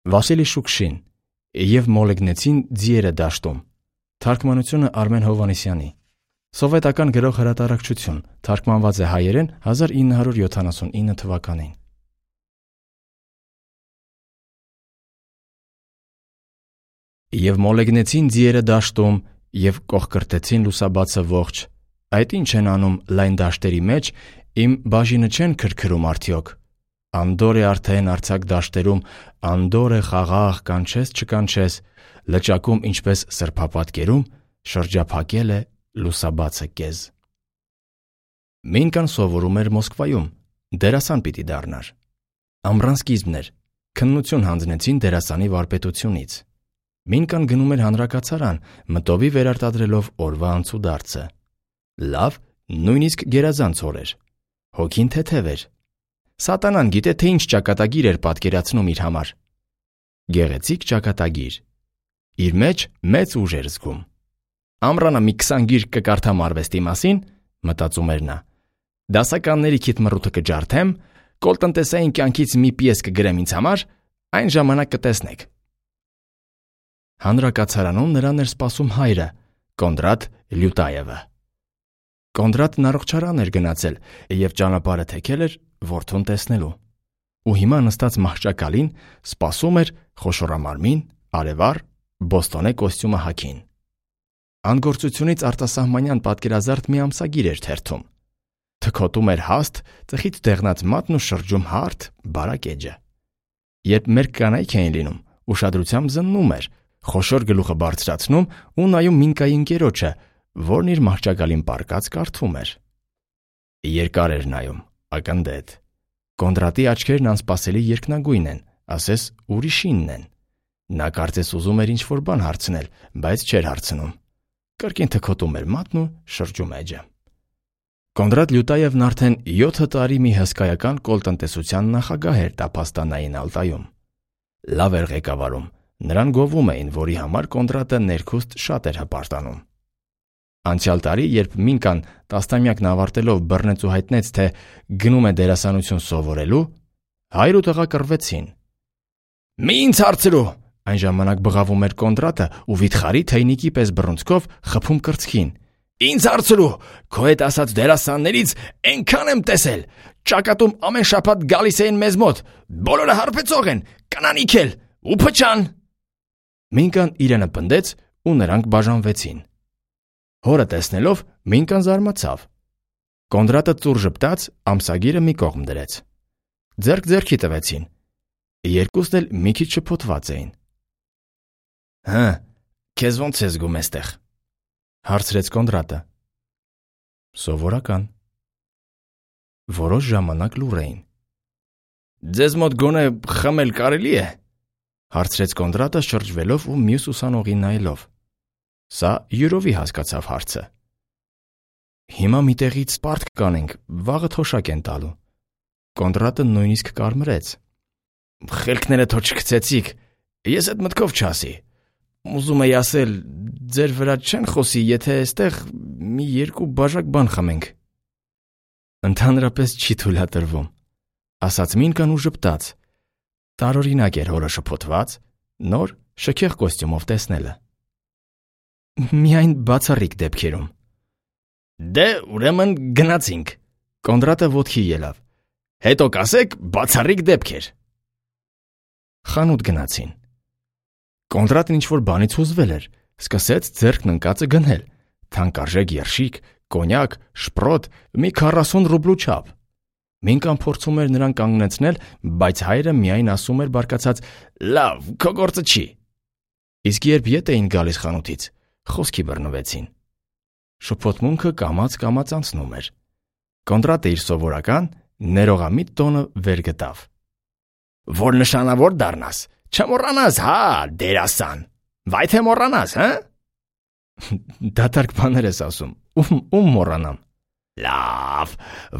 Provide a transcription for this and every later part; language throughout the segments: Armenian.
Վասիլի Շուկշին և մոլեգնեցին ձիերը դաշտում։ Թարգմանությունը Արմեն Հովհաննիսյանի։ Սովետական գրող հրատարակչություն, թարգմանված է հայերեն 1979 թվականին։ Եվ մոլեգնեցին ձիերը դաշտում և կողկրտեցին լուսաբացը ողջ։ Այդ ինչ են անում լայն դաշտերի մեջ, իմ բաժինը չեն քրքրում արդյոք։ Անդոր է արդեն արձակ դաշտերում, անդոր է խաղաղ, կանչես չկանչես, լճակում ինչպես սրբապատկերում, շրջափակել է լուսաբացը կեզ։ Մինկան սովորում էր Մոսկվայում, դերասան պիտի դառնար։ Ամռան սկիզբն էր, քննություն հանձնեցին դերասանի վարպետությունից։ Մինկան գնում էր հանրակացարան, մտովի վերարտադրելով օրվա անցուդարձը։ Լավ, նույնիսկ գերազանց օր էր։ Հոգին թեթև էր։ Սատանան գիտե թե ինչ ճակատագիր էր պատկերացնում իր համար։ Գեղեցիկ ճակատագիր։ Իր մեջ մեծ ուժ էր զգում։ Ամռանը մի 20 գիրք կկարդամ արվեստի մասին, մտածում էր նա։ Դասականների քիթմռութը կջարդեմ, կոլտնտեսային կյանքից մի պիես կգրեմ ինձ համար, այն ժամանակ կտեսնեք։ Հանրակացարանում նրան էր սպասում հայրը, Կոնդրատ Լյուտայևը։ Կոնդրատն առողջարան էր գնացել և ճանապարհը թեքել էր որդուն տեսնելու։ Ու հիմա նստած մահճակալին սպասում էր խոշորամարմին, արևառ, բոստոնե կոստյումը հագին։ Անգործությունից արտասահմանյան պատկերազարդ մի ամսագիր էր թերթում։ Թքոտում էր հաստ, ծխից դեղնած մատն ու շրջում հարթ, բարակ էջը։ Երբ մեր կանայք էին լինում, ուշադրությամբ զննում էր, խոշոր գլուխը բարձրացնում ու նայում Մինկայի ընկերոջը, որն իր մահճակալին պառկած կարդում էր։ Երկար էր նայում, ակնդետ։ Կոնդրատի աչքերն անսպասելի երկնագույն են, ասես ուրիշինն են։ Նա կարծես ուզում էր ինչ-որ բան հարցնել, բայց չէր հարցնում։ Կրկին թքոտում էր մատն ու շրջում էջը։ Կոնդրատ Լյուտայևն արդեն 7 տարի մի հսկայական կոլտնտեսության նախագահ էր Տափաստանային Ալտայում։ Լավ էր ղեկավարում, նրան գովում էին, որի համար Կոնդրատը ներքուստ շատ էր հպարտանում։ Անցյալ տարի, երբ Մինկան տասնամյակն ավարտելով բռնեց ու հայտնեց, թե գնում է դերասանություն սովորելու, հայր ու տղա կռվեցին։ «Մի ինձ հարցրու», այն ժամանակ բղավում էր Կոնդրատը ու վիթխարի թեյնիկի պես բռունցքով խփում կրծքին։ «Ինձ հարցրու, քո հետ ասած դերասաններից այնքան եմ տեսել, ճակատում ամեն շաբաթ գալիս էին մեզ մոտ, բոլորը հարբեցող են, կանանիք էլ, ու փչան»։ Մինկան իրենը պնդեց ու նրանք բաժանվեցին։ Հորը տեսնելով Մինկան զարմացավ։ Կոնդրատը ծուռ ժպտաց, ամսագիրը մի կողմ դրեց։ Ձեռք ձեռքի տվեցին։ Երկուսն էլ մի քիչ շփոթված էին։ «Հը, քեզ ո՞նց է զգում էստեղ», հարցրեց Կոնդրատը։ «Սովորական»։ Որոշ ժամանակ լուռ էին։ «Ձեզ մոտ գոնե խմել կարելի է», հարցրեց Կոնդրատը շրջվելով ու մյուս ուսանողին նայելով։ Սա յուրովի հասկացավ հարցը։ «Հիմա մի տեղից պարտք կանենք, վաղը թոշակ են տալու»։ Կոնդրատը նույնիսկ կարմրեց։ «Խելքները թո չգցեցիք, ես այդ մտքով չասի։ Ուզում էի ասել, ձեր վրա չեն խոսի, եթե էստեղ մի 2 բաժակ բան խմենք»։ «Ընդհանրապես չի թույլատրվում», ասաց Մինկան ու ժպտաց։ Տարօրինակ էր հորը շփոթված, նոր շքեղ կոստյումով տեսնելը։ «Միայն բացառիկ դեպքերում»։ «Դե, ուրեմն գնացինք», Կոնդրատը ոտքի ելավ։ «Հետո կասեք բացառիկ դեպքեր»։ Խանութ գնացին։ Կոնդրատն ինչ-որ բանից հուզվել էր, սկսեց ձեռքն ընկածը գնել, թանկարժեք երշիկ, կոնյակ, շպրոտ, մի 40 ռուբլու չափ։ Մինկան փորձում էր նրան կանգնեցնել, բայց հայրը միայն ասում էր բարկացած. «Լավ, քո գործը չի»։ Իսկ երբ ետ էին գալիս խանութից, խոսքի բռնվեցին։ Շփոթմունքը կամաց-կամաց անցնում էր։ Կոնդրատը իր սովորական ներողամիտ տոնը վեր գտավ։ «Որ նշանավոր դառնաս, չմոռանաս, հա, դերասան։ Վայ թե մոռանաս, հա»։ Դատարկ բաներ ես ասում, ում մոռանամ։ «Լավ,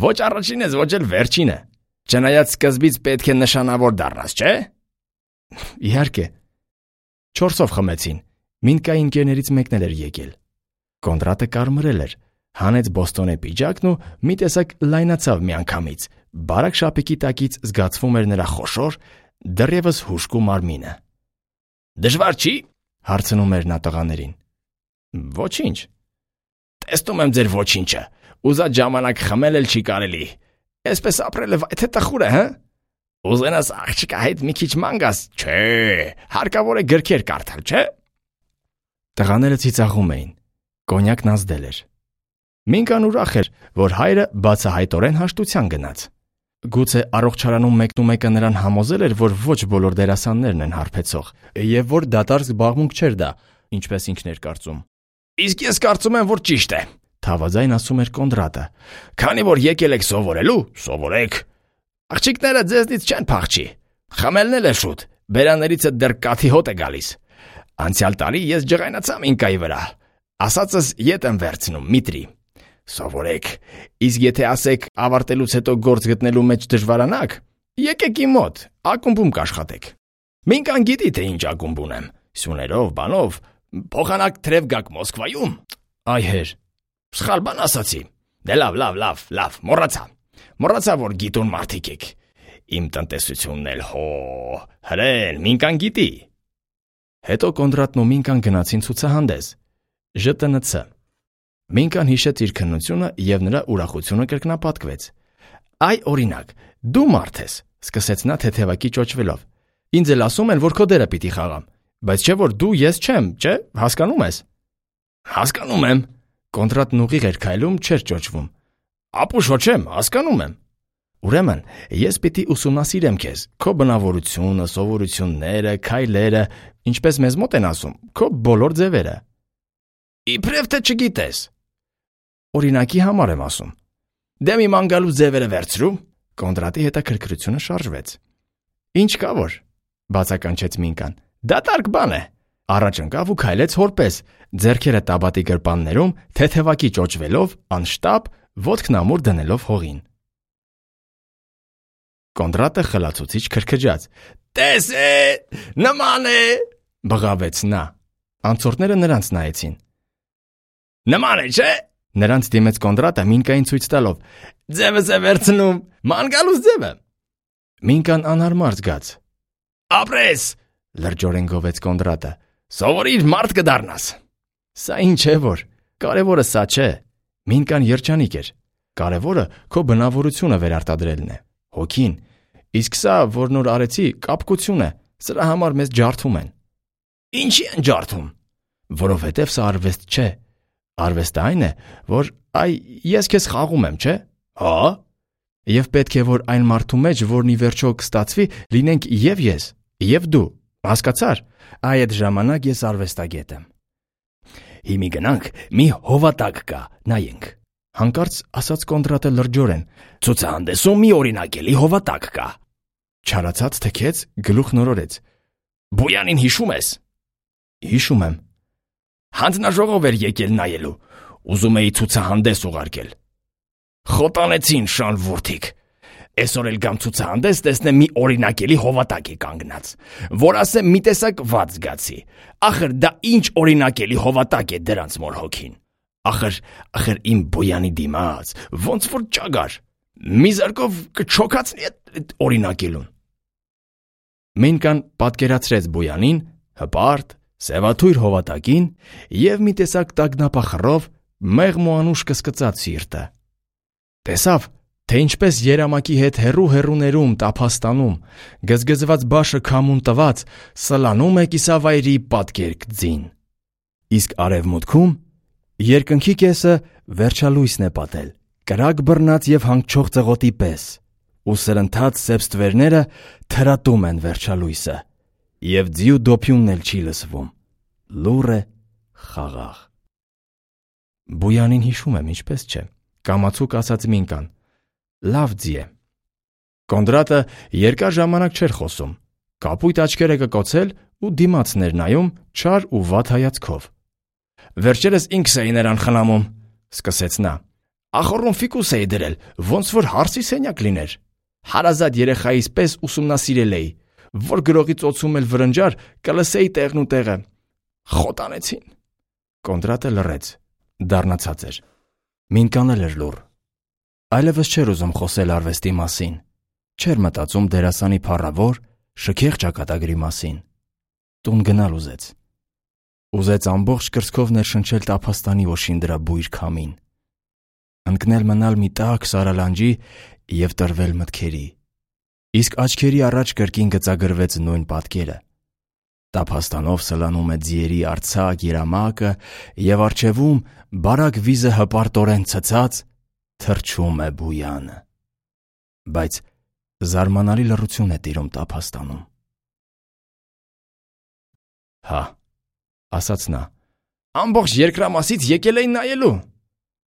ոչ առաջին ես, ոչ էլ վերջինը։ Չնայած սկզբից պետք է նշանավոր դառնաս, չէ՞։ Իհարկե։ 4-ով խմեցին։ Մինկայի ընկերներից մեկն էր եկել։ Կոնդրատը կարմրել էր, հանեց բոստոնե պիջակն ու մի տեսակ լայնացավ միանգամից։ Բարակ շապիկի տակից զգացվում էր նրա խոշոր, դեռևս հուժկու մարմինը։ «Դժվար չի?» հարցնում էր նա տղաներին։ «Ոչինչ»։ «Տեսնում եմ ձեր ոչինչը, ուզած ժամանակ խմել էլ չի կարելի, այսպես ապրելը վայ թե տխուր է, հը? Ուզենաս աղջկա հետ մի քիչ ման գաս, չէ, հարկավոր է գրքեր կարդալ, չէ»։ Տղաները ծիծաղում էին, կոնյակն ազդել էր։ Մինկան ուրախ էր, որ հայրը բացահայտորեն հաշտության գնաց։ Գուցե առողջարանում մեկնումեկը նրան համոզել էր, որ ոչ բոլոր դերասաններն են հարբեցող, եւ որ դատարկ զբաղմունք չէր դա, ինչպես ինքն էր կարծում։ «Իսկ ես կարծում եմ, որ ճիշտ է», թավաձայն ասում էր Կոնդրատը։ «Քանի որ եկել եք սովորելու, սովորեք։ Աղջիկները ձեզնից չեն փախչի։ Խմելն էլ է շուտ, բերաներիցը դեռ կաթի հոտ է գալիս։ Անցյալ տարի ես ջղայնացամ ինկայի վրա, ասածս ետ եմ վերցնում, միտրի։ Սովորեք, իսկ եթե ասեք ավարտելուց հետո գործ գտնելու մեջ դժվարանաք, եկեք իմ մոտ, ակումբում կաշխատեք։ Մինկան գիտի, թե ինչ ակումբ ունեմ, սյուներով, բանով, փոխանակ թրև գաք Մոսկվայում։ Այ հեր, սխալ բան ասացի։ Դե լավ, մոռացա, որ գիտուն մարդիկ եք։ Իմ տնտեսությունն էլ հրեն, Մինկան գիտի։ Հետո Կոնդրատն ու Մինկան գնացին ցուցահանդես, ԺՏՆՑ։ Մինկան հիշեց իր քննությունը և նրա ուրախությունը կրկնապատկվեց։ «Այ օրինակ, դու մարդ ես», սկսեց նա թեթևակի ճոճվելով։ «Ինձ էլ ասում են, որ քո դերը պիտի խաղամ, բայց չէ որ դու ես չեմ, չէ, հասկանում ես»։ «Հասկանում եմ», Կոնդրատն ուղիղ էր քայլում, չէր ճոճվում։ «Ապուշ չեմ, հասկանում եմ»։ «Ուրեմն, ես պիտի ուսումնասիրեմ քեզ, քո բնավորությունը, սովորությունները, քայլերը, ինչպես մեզ մոտ են ասում, քո բոլոր ձևերը»։ «Իբրև թե չգիտես»։ «Օրինակի համար եմ ասում»։ «Դե մի ման գալու ձևերը վերցրու»։ Կոնդրատի հետաքրքրությունը շարժվեց։ «Ինչ կա որ», բացականչեց Մինկան։ «Դատարկ բան է»։ Առաջ ընկավ ու քայլեց հորպես, ձեռքերը տաբատի գրպաններում, թեթևակի ճոճվելով, անշտապ, ոտքն ամուր դնելով հողին։ Կոնդրատը խլացուցիչ քրքջաց։ «Տես է, նման է», բղավեց նա։ Անցորդները նրանց նայեցին։ «Նման է, չէ՞», նրանց դիմեց Կոնդրատը Մինկային ցույց տալով։ «Ձևս է վերցնում, ման գալուս ձևը»։ Մինկան անհարմար զգաց։ «Ապրես», լրջորեն գովեց Կոնդրատը։ «Սովորիր, մարդ կդառնաս»։ Սա ինչ է որ, կարևորը սա չէ։ Մինկան երջանիկ էր։ Կարևորը քո բնավորությունը վերարտադրելն է, հոգին։ Իսկ սա, որ նոր արեցի, կապկություն է, սրա համար մեզ ջարդում են։ Ինչի են ջարդում։ Որովհետև սա արվեստ չէ։ Արվեստը այն է, որ ես քեզ խաղում եմ, չէ՞։ Հա։ Եվ պետք է, որ այն մարդու մեջ, որն ի վերջո կստացվի, լինենք և ես, և դու։ Հասկացար։ Այդ ժամանակ ես արվեստագետ եմ։ Հիմի գնանք, մի հովատակ կա, նայենք։ Հանկարծ ասաց Կոնդրատը լրջորեն։ Ցուցահանդեսում մի օրինակելի հովատակ կա։ Չարացած թքեց, գլուխ նորորեց։ Բոյանին հիշում ես։ Հիշում եմ։ Հանձնաժողով էր եկել նայելու։ Ուզում էի ցուցահանդես ուղարկել։ Խոտանեցին շան ворթիկ։ Այսօր էլ գամ ցուցահանդես տեսնեմ մի օրինակելի հովատակ է կանգնած, որ ասեմ մի տեսակ վատ զգացի։ Ախր դա ինչ օրինակելի հովատակ է դրանց մոր հոգին։ Ախր իմ Բոյանի դիմաց, ոնց որ ճագար։ Մի զարկով կչոքացնի այդ օրինակելուն։ Մինկան պատկերացրեց Բոյանին, հպարտ, սևաթույր հովատակին և մի տեսակ տագնապախռով մեղմ ու անուշ կսկծած սիրտը։ Տեսավ, թե ինչպես երամակի հետ հեռու-հեռուներում տափաստանում, գզգզված բաշը քամուն տված, սլանում է կիսավայրի պատկերք ձին։ Իսկ արևմուտքում երկնքի կեսը վերջալույսն է պատել, կրակ բռնած և հանգչող ծղոտի պես, ու սրընթաց սեպստվերները թրատում են վերջալույսը, և ձիու դոփյունն էլ չի լսվում, լուռ է, խաղաղ։ Բոյանին հիշում եմ, ինչպես չէ, կամացուկ ասաց Մինկան։ Լավ ձի է։ Կոնդրատը երկար ժամանակ չէր խոսում, կապույտ աչքերը կկոցել ու դիմացն էր նայում չար ու վատ հայացքով։ Վերջերս ինքս էի նրան խնամում, սկսեց նա։ Ախոռում ֆիկուս էի դրել, ոնց որ հարսի սենյակ լիներ։ Հարազատ երեխայիս պես ուսումնասիրել էի, որ գրողի ծոցում էլ վրնջար, կլսեի տեղն ու տեղը։ Խոտանեցին։ Կոնդրատը լռեց, դառնացած էր։ Մինկան էլ էր լուռ։ Այլևս չէր ուզում խոսել արվեստի մասին, չէր մտածում դերասանի փառավոր, շքեղ ճակատագրի մասին։ Տուն գնալ ուզեց։ Ուզեց ամբողջ կրծքով ներշնչել տափաստանի օշին դրա բույր քամին, ընկնել մնալ մի տաք սարալանջի և տրվել մտքերի, իսկ աչքերի առաջ կրկին գծագրվեց նույն պատկերը. տափաստանով սլանում է ձիերի արձակ երամակը և առջևում բարակ վիզը հպարտորեն ցցած թռչում է բույանը, բայց զարմանալի լռություն է տիրում տափաստանում։ «Հա», ասաց նա, «ամբողջ երկրամասից եկել էին նայելու»։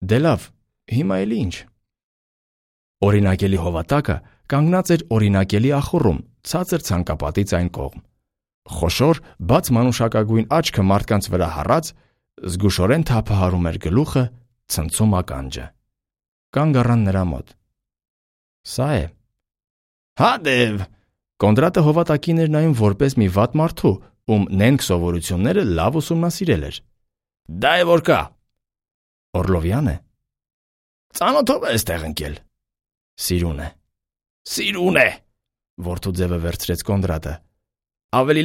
«Դե լավ, հիմա էլի ինչ»։ Օրինակելի հովատակը կանգնած էր օրինակելի ախոռում, ցածր ցանկապատից այն կողմ։ Խոշոր, բաց մանուշակագույն աչքը մարդկանց վրա հառած, զգուշորեն թափահարում էր գլուխը, ցնցում ականջը։ Կանգ առան նրա մոտ։ «Սա է»։ «Հա դեվ»։ Կոնդրատը հովատակին էր նայում որպես մի վատ մարդու, ում նենգ սովորությունները լավ ուսումնասիրել էր։ «Դա է որ կա»։ «Օրլովյան է»։ «Ծանոթով է այստեղ ընկել»։ «Սիրուն է»։ «Սիրուն է», որդու ձևը վերցրեց Կոնդրատը։ «Ավելի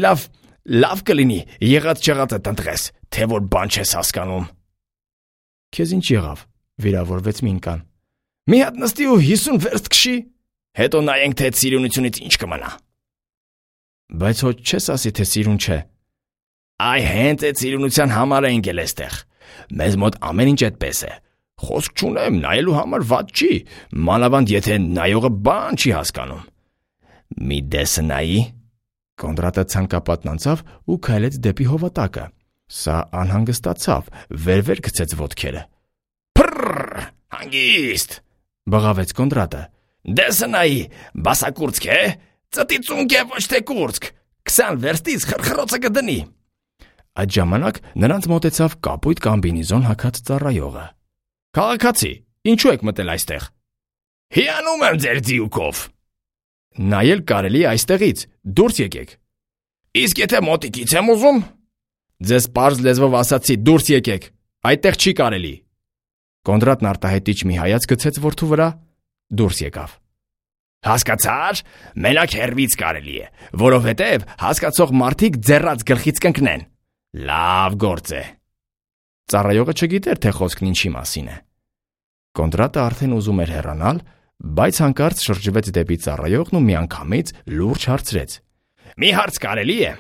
լավ կլինի եղած չեղածը տնտղես, թե որ բան չես հասկանում»։ «Քեզ ինչ եղավ»։ Վիրավորվեց Մինկան։ «Մի հատ նստի ու 50 վերստ քշի, հետո նայենք, թե այդ սիրունությունից ինչ կմնա»։ «Բայց հո չես ասի, թե սիրուն չէ»։ «Այ հենց այդ սիրունության համար է ընկել այստեղ։ Մեզ մոտ ամեն ինչ այդպես է։ Խոսք չունեմ, նայելու համար վատ չի, մանավանդ եթե նայողը բան չի հասկանում։ Մի դեսը նայի»։ Կոնդրատը ցանկապատն անցավ ու քայլեց դեպի հովատակը։ Սա անհանգստացավ, վեր գցեց ոտքերը։ «Փռռ, հանգիստ», բղավեց Կոնդրատը։ «Դեսը նայի, բասակուրծք է, ծտի ծունկ է, ոչ թե կուրծք, 20 վերստից խրխրոցը կդնի»։ Այդ ժամանակ նրանց մոտեցավ կապույտ կամբինեզոն հագած ծառայողը։ «Քաղաքացի, ինչու եք մտել այստեղ»։ «Հիանում եմ ձեր ձիուկով»։ «Նայել կարելի է այստեղից, դուրս եկեք»։ «Իսկ եթե մոտիկից եմ ուզում»։ «Ձեզ պարզ լեզվով ասացի, դուրս եկեք, այդտեղ չի կարելի»։ Կոնդրատն արտահայտիչ մի հայացք գցեց որդու վրա, դուրս եկավ։ «Հասկացա՞ր, մենակ հեռվից կարելի է, որովհետև հասկացող մարդիկ ձեռած գլխից կընկնեն։ Լավ գործ է»։ Ծառայողը չգիտեր, թե խոսքն ինչի մասին է։ Կոնդրատը արդեն ուզում էր հեռանալ, բայց հանկարծ շրջվեց դեպի ծառայողն ու միանգամից լուրջ հարցրեց. «Մի հարց կարելի է»։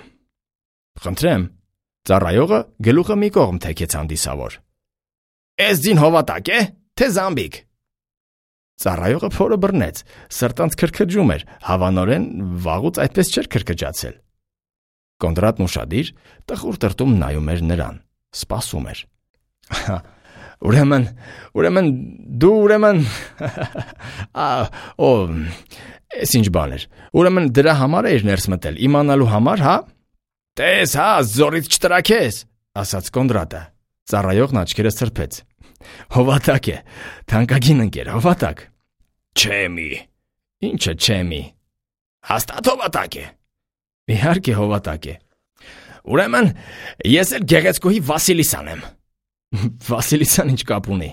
«Խնդրեմ»։ Ծառայողը գլուխը մի կողմ թեքեց հանդիսավոր։ «Էս ձին հովատակ է, թե զամբիկ»։ Ծառայողը փորը բռնեց, սրտանց քրքջում էր, հավանորեն վաղուց այդպես չէր քրքջացել։ Կոնդրատն ուշադիր, տխուր տրտում նայում էր նրան, սպասում էր։ Ուրեմն դու էս ինչ բան էր։ Ուրեմն դրա համար էիր ներս մտել, իմանալու համար, հա։ Տես հա, զորից չտրաքես, ասաց Կոնդրատը։ Ծառայողն աչքերը սրբեց։ Հովատակ է, թանկագին ընկեր, հովատակ։ Չեմի։ Ինչը չեմի։ Հաստատ հովատակ է։ Իհարկե հովատակ է։ Ուրեմն ես էլ Գեղեցկուհի Վասիլիսան եմ։ Վասիլիսան ինչ կապ ունի։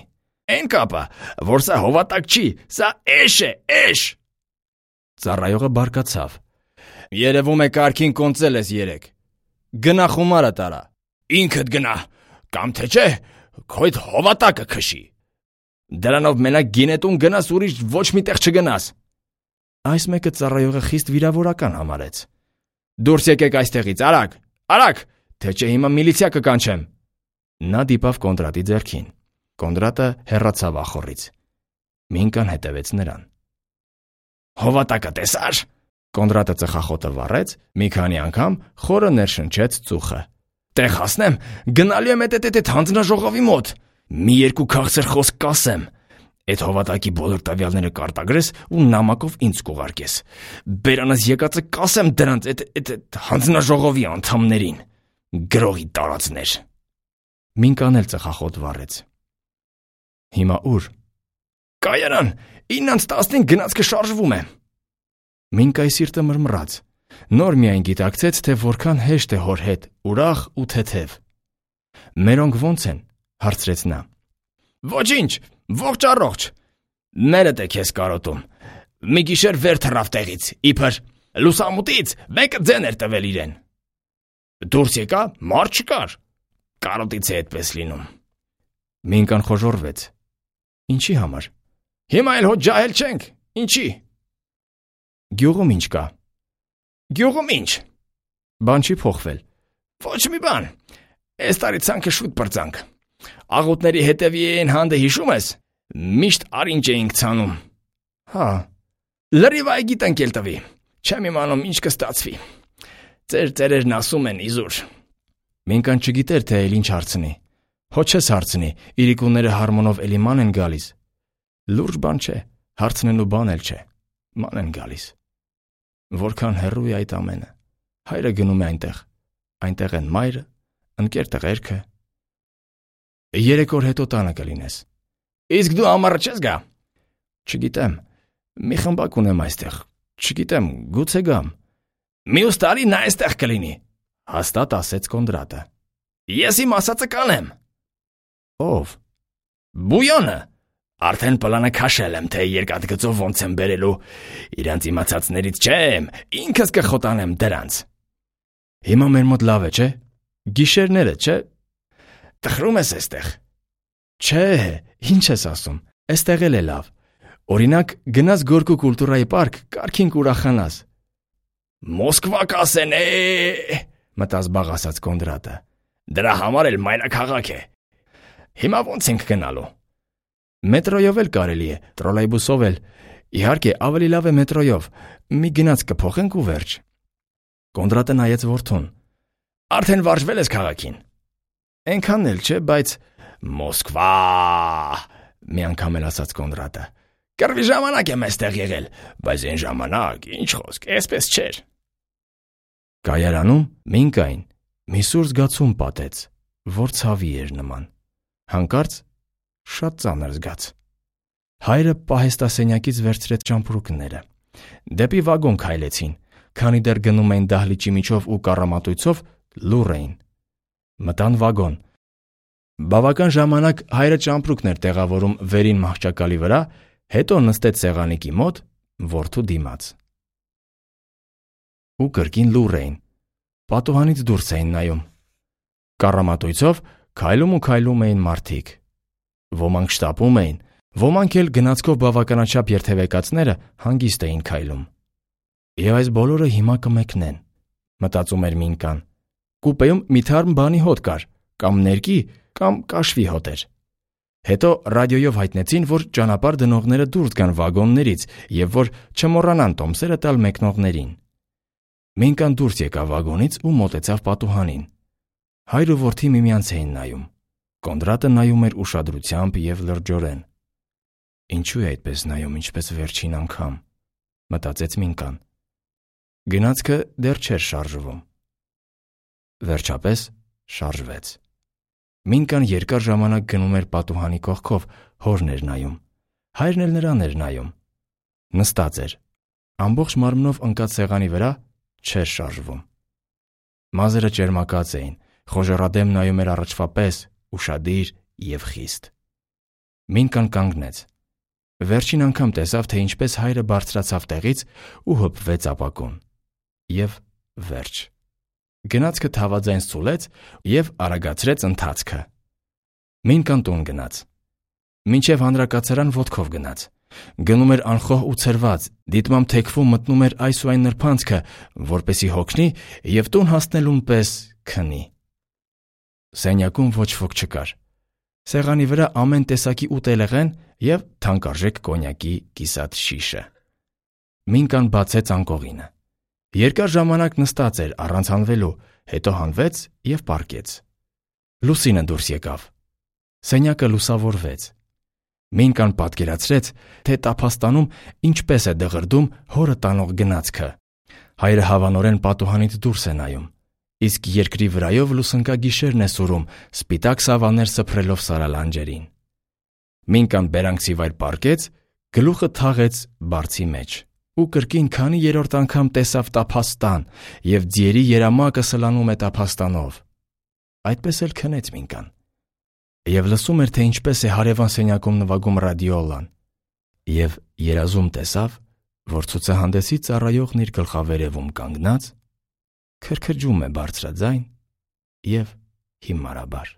Այն կապը, որ սա հովատակ չի, սա էշ է, էշ։ Ծառայողը բարկացավ։ Երևում է կարգին կոնծել ես երեք։ Գնա խումարը տարա։ Ինքդ գնա, կամ թե չէ, քո այդ հովատակը քշի։ Դրանով մենակ գինետուն գնաս, ուրիշ ոչ մի տեղ չգնաս։ Այս մեկը ծառայողը խիստ վիրավորական համարեց։ Դուրս եկեք այստեղից, արագ, արագ, թե չէ հիմա միլիցիա կկանչեմ։ Նա դիպավ Կոնդրատի ձեռքին։ Կոնդրատը հեռացավ ախոռից։ Մինկան հետևեց նրան։ Հովատակը տեսար։ Կոնդրատը ծխախոտը վառեց, մի քանի անգամ խորը ներշնչեց ծուխը։ Տեղ հասնեմ, գնալու եմ այդ հանձնաժողովի մոտ։ Մի երկու քաղցր խոսք կասեմ։ Այդ հովատակի բոլոր տվյալները կարտագրես ու նամակով ինձ կուղարկես։ Բերանս եկածը կասեմ դրանց այդ հանձնաժողովի անդամներին։ Գրողի տարածներ։ Մինկան էլ ծխախոտ վառեց։ Հիմա ուր։ Կայարան, 9:15 գնացքը շարժվում է։ Մինկայի սիրտը մռմռաց։ Նոր միայն գիտակցեց, թե որքան հեշտ է հոր հետ, ուրախ ու թեթև։ Մերոնք ո՞նց են, հարցրեց նա։ Ոչինչ, ողջ առողջ։ Մերդ է քեզ կարոտում։ Մի գիշեր վեր թռավ տեղից, իբր Լուսամուտից մեկը ձեն էր տվել իրեն։ Դուրս եկա, մարդ չկար։ Կարոտից է այդպես լինում։ Մինկան խոժոռվեց։ Ինչի համար։ Հիմա էլ հո ջահել չենք։ Ինչի։ Գյուղում ինչ կա։ Գյուղում ինչ։ Բան չի փոխվել։ Ոչ մի բան։ Այս տարի ցանքը շուտ բրծանք։ Աղուտների հետևի են հանդը հիշում ես։ Միշտ արինջ էինք ցանում։ Հա։ Լրիվ այգիտ ընկել տվի։ Չեմ իմանում ինչ կստացվի։ Ձեր ծերերն ասում են իզուր։ Մինկան չգիտեր թե էլ ինչ հարցնի։ Հո չես հարցնի, իրիկունները հարմոնով էլի ման են գալիս։ Լուրջ բան չէ, հարցնելու բան էլ չէ։ Ման են գալիս։ Որքան հեռու է այդ ամենը։ Հայրը գնում է այնտեղ։ Այնտեղ են մայրը, ընկեր տղերքը։ 3 օր հետո տանը կլինես։ Իսկ դու ամառը չես գա։ Չգիտեմ։ Մի խմբակ ունեմ այստեղ։ Չգիտեմ, գուցե գամ։ Մյուս տարի նա այստեղ կլինի, հաստատ ասեց Կոնդրատը։ Ես իմ ասածը կանեմ։ Ով։ Բույոնը։ Արդեն պլանը քաշել եմ, թե երկաթգծով ոնց եմ բերելու։ Իրանց իմացածներից չեմ, ինքս կխոտանեմ դրանց։ Հիմա մեր մոտ լավ է, չէ։ Գիշերները, չէ։ Տխրում ես այստեղ։ Չէ, ինչ ես ասում։ Այստեղ էլ է լավ։ Օրինակ, գնաս Գորկու կուլտուրայի պարկ, կարգին կուրախանաս։ Մոսկվա կասեն, մտած բաղասած Կոնդրատը։ Դրա համար էլ մայրաքաղաք է։ Հիմա ոնց ենք գնալու։ Մետրոյով էլ կարելի է, տրոլեյբուսով էլ։ Իհարկե, ավելի լավ է մետրոյով։ Մի գնաց կփոխենք ու վերջ։ Կոնդրատը նայեց որդուն։ Արդեն վարժվել ես քաղաքին։ Էնքան էլ չէ, բայց Մոսկվա, մի անգամ էլ ասաց Կոնդրատը։ Կռվի ժամանակ եմ այստեղ եղել, բայց այն ժամանակ, ինչ խոսք, այսպես չէր։ Կայարանում Մինկային մի սուր զգացում պատեց, որ ցավի էր նման։ Հանկարծ շատ ծանր զգաց։ Հայրը պահեստասենյակից վերցրեց ճամպրուկները։ Դեպի վագոն քայլեցին, քանի դեռ գնում էին դահլիճի միջով ու կառամատույցով լուռ էին։ Մտան վագոն։ Բավական ժամանակ հայրը ճամպրուկն էր տեղավորում վերին մահճակալի վրա, հետո նստեց սեղանիկի մոտ, որդու դիմաց։ Ու կրկին լուռ էին։ Պատուհանից դուրս էին նայում։ Կառամատույցով քայլում ու քայլում էին մարդիկ։ Ոմանք շտապում էին, ոմանք էլ գնացքով բավականաչափ երթևեկացները հանգիստ էին քայլում։ Եվ այս բոլորը հիմա կմեկնեն, մտածում էր Մինկան։ Կուպեում մի թարմ բանի հոտ կար, կամ ներկի, կամ կաշվի հոտ էր։ Հետո ռադիոյով հայտնեցին, որ ճանապարհ դնողները դուրս գան վագոններից եւ որ չմոռանան տոմսերը տալ մեկնողներին։ Մինկան դուրս եկավ վագոնից ու մոտեցավ պատուհանին։ Հայր ու որդի միմյանց էին նայում։ Կոնդրատը նայում էր ուշադրությամբ եւ լրջորեն։ Ինչու է այդպես նայում, ինչպես վերջին անգամ, մտածեց Մինկան։ Գնացքը դեռ չէր շարժվում։ Վերջապես շարժվեց։ Մինկան երկար ժամանակ գնում էր պատուհանի կողքով, հորն էր նայում։ Հայրն էլ նրան էր նայում։ Նստած էր։ Ամբողջ մարմնով ընկած սեղանի վրա չէր շարժվում։ Մազերը ճերմակած էին, խոժոռադեմ նայում էր առաջվա պես, ուշադիր եւ խիստ։ Մինկան կանգնեց։ Վերջին անգամ տեսավ, թե ինչպես հայրը բարձրացավ տեղից ու հպվեց ապակուն։ Եվ վերջ։ Գնացքը թավաձայն սուլեց եւ արագացրեց ընթացքը։ Մինկան տուն գնաց։ Մինչև հանրակացարան ոտքով գնաց։ Գնում էր անխոհ ու ցրված, դիտմամբ թեքվում մտնում էր այս ու այն նրբանցքը, որպեսի հոգնի եւ տուն հասնելուն պես քնի։ Սենյակում ոչ ոք չկար։ Սեղանի վրա ամեն տեսակի ուտելեղեն եւ թանկարժեք կոնյակի կիսատ շիշը։ Մինկան բացեց անկողինը։ Երկար ժամանակ նստած էր առանց հանվելու, հետո հանվեց եւ պառկեց։ Լուսինը դուրս եկավ։ Սենյակը լուսավորվեց։ Մինկան պատկերացրեց, թե տափաստանում ինչպես է դղրդում հորը տանող գնացքը։ Հայրը հավանորեն պատուհանից դուրս է նայում, իսկ երկրի վրայով լուսնկա գիշերն է սուրում, սպիտակ սավաններ սփռելով սարալանջերին։ Մինկան բերանքսի վայր պառկեց, գլուխը թաղեց բարձի մեջ ու կրկին քանի երրորդ անգամ տեսավ տափաստան եւ ձիերի երամակը սլանում է տափաստանով։ Այդպես էլ քնեց Մինկան։ Եվ լսում էր, թե ինչպես է հարևան սենյակում նվագում ռադիոլան։ Եվ երազում տեսավ, որ ցուցահանդեսի ծառայողն իր գլխավերևում կանգնած քրքրջում է բարձրաձայն և հիմարաբար։